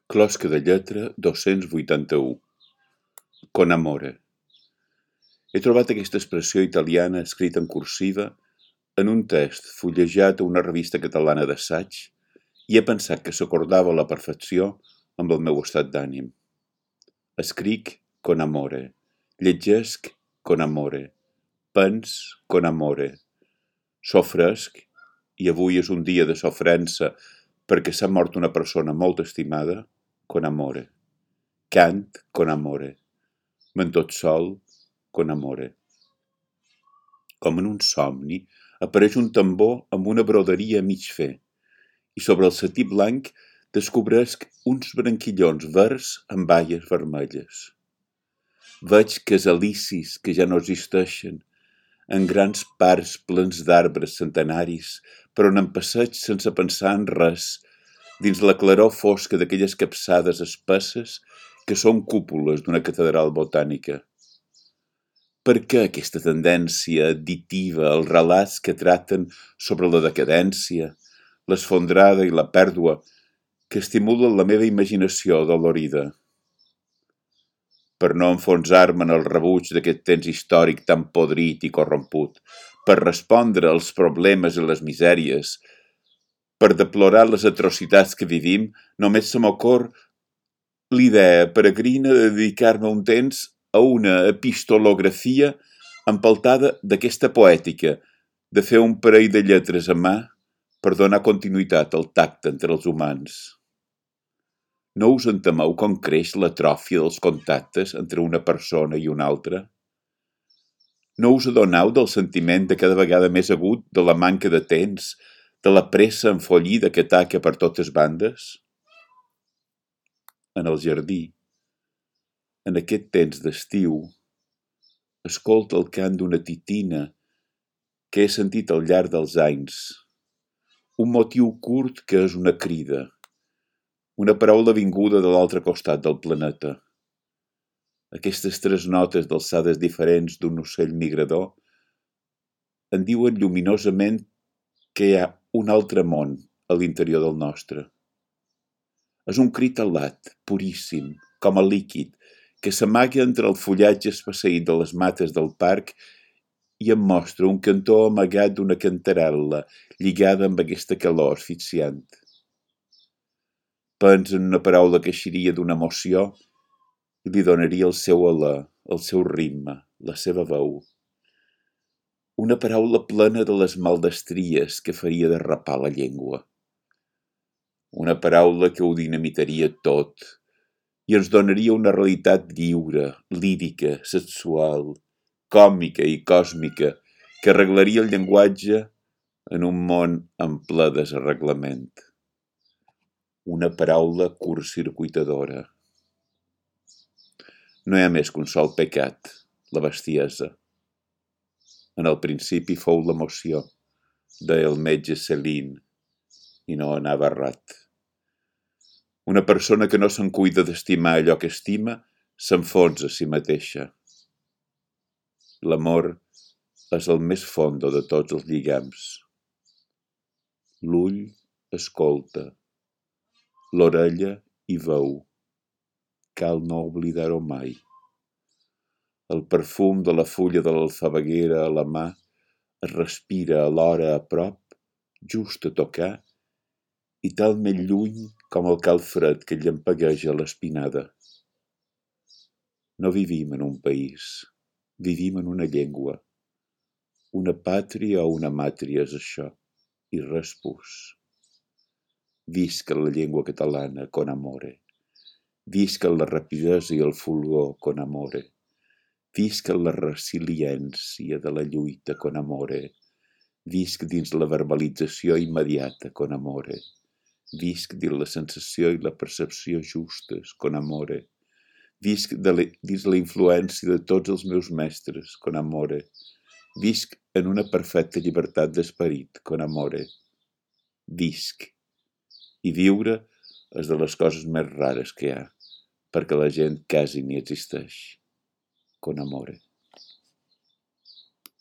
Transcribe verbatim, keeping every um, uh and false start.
Closca de lletra dos-cents vuitanta-u. Con amore. He trobat aquesta expressió italiana escrita en cursiva en un text fullejat a una revista catalana d'assaig i he pensat que s'acordava a la perfecció amb el meu estat d'ànim. Escric con amore, llegesc con amore, pens con amore, sofresc, i avui és un dia de sofrença perquè s'ha mort una persona molt estimada, con amore, cant con amore, me'n tot sol con amore. Com en un somni, apareix un tambor amb una broderia a mig fer, i sobre el setí blanc descobresc uns branquillons verds amb baies vermelles. Veig casalicis que ja no existeixen, en grans parcs plens d'arbres centenaris, per on em passeig sense pensar en res, dins la claror fosca d'aquelles capçades espesses que són cúpules d'una catedral botànica. Per què aquesta tendència additiva als relats que traten sobre la decadència, l'esfondrada i la pèrdua, que estimulen la meva imaginació dolorida? Per no enfonsar-me en el rebuig d'aquest temps històric tan podrit i corromput, per respondre als problemes i les misèries, per deplorar les atrocitats que vivim, només se m'ocorre l'idea peregrina de dedicar-me un temps a una epistolografia empeltada d'aquesta poètica, de fer un parell de lletres a mà per donar continuïtat al tacte entre els humans. No us entemeu com creix l'atròfia dels contactes entre una persona i una altra? No us adoneu del sentiment de cada vegada més agut de la manca de temps, de la pressa enfollida que ataca per totes bandes? En el jardí, en aquest temps d'estiu, escolta el cant d'una titina que he sentit al llarg dels anys, un motiu curt que és una crida, una paraula vinguda de l'altre costat del planeta. Aquestes tres notes d'alçades diferents d'un ocell migrador en diuen lluminosament que hi ha un altre món a l'interior del nostre. És un crit alat, puríssim, com a líquid, que s'amaga entre el fullatge espesseït de les mates del parc i em mostra un cantó amagat d'una cantarel·la lligada amb aquesta calor asfixiant. Pensa en una paraula que eixiria d'una emoció i li donaria el seu alè, el seu ritme, la seva veu. Una paraula plena de les maldestries que faria derrapar la llengua. Una paraula que ho dinamitaria tot i ens donaria una realitat lliure, lírica, sexual, còmica i còsmica que arreglaria el llenguatge en un món en ple desarreglament. Una paraula curtcircuitadora. No hi ha més que un sol pecat, la bestiesa. En el principi fou l'emoció, deia el metge Céline, i no anava errat. Una persona que no se'n cuida d'estimar allò que estima, s'enfonsa a si mateixa. L'amor és el més fondo de tots els lligams. L'ull escolta, l'orella hi veu. Cal no oblidar-ho mai. El perfum de la fulla de l'alfabeguera a la mà es respira alhora a prop, just a tocar, i talment lluny com el calfred que llampegueja l'espinada. No vivim en un país, vivim en una llengua. Una pàtria o una màtria és això, i res pus. Visca la llengua catalana con amore. Visca la rapidesa i el fulgor con amore. Visca la resiliència de la lluita con amore. Visc dins la verbalització immediata con amore. Visc dins la sensació i la percepció justes con amore. Visc de la, dins la influència de tots els meus mestres con amore. Visc en una perfecta llibertat d'esperit con amore. Visc. I viure és de les coses més rares que hi ha, perquè la gent quasi ni existeix. Con amore.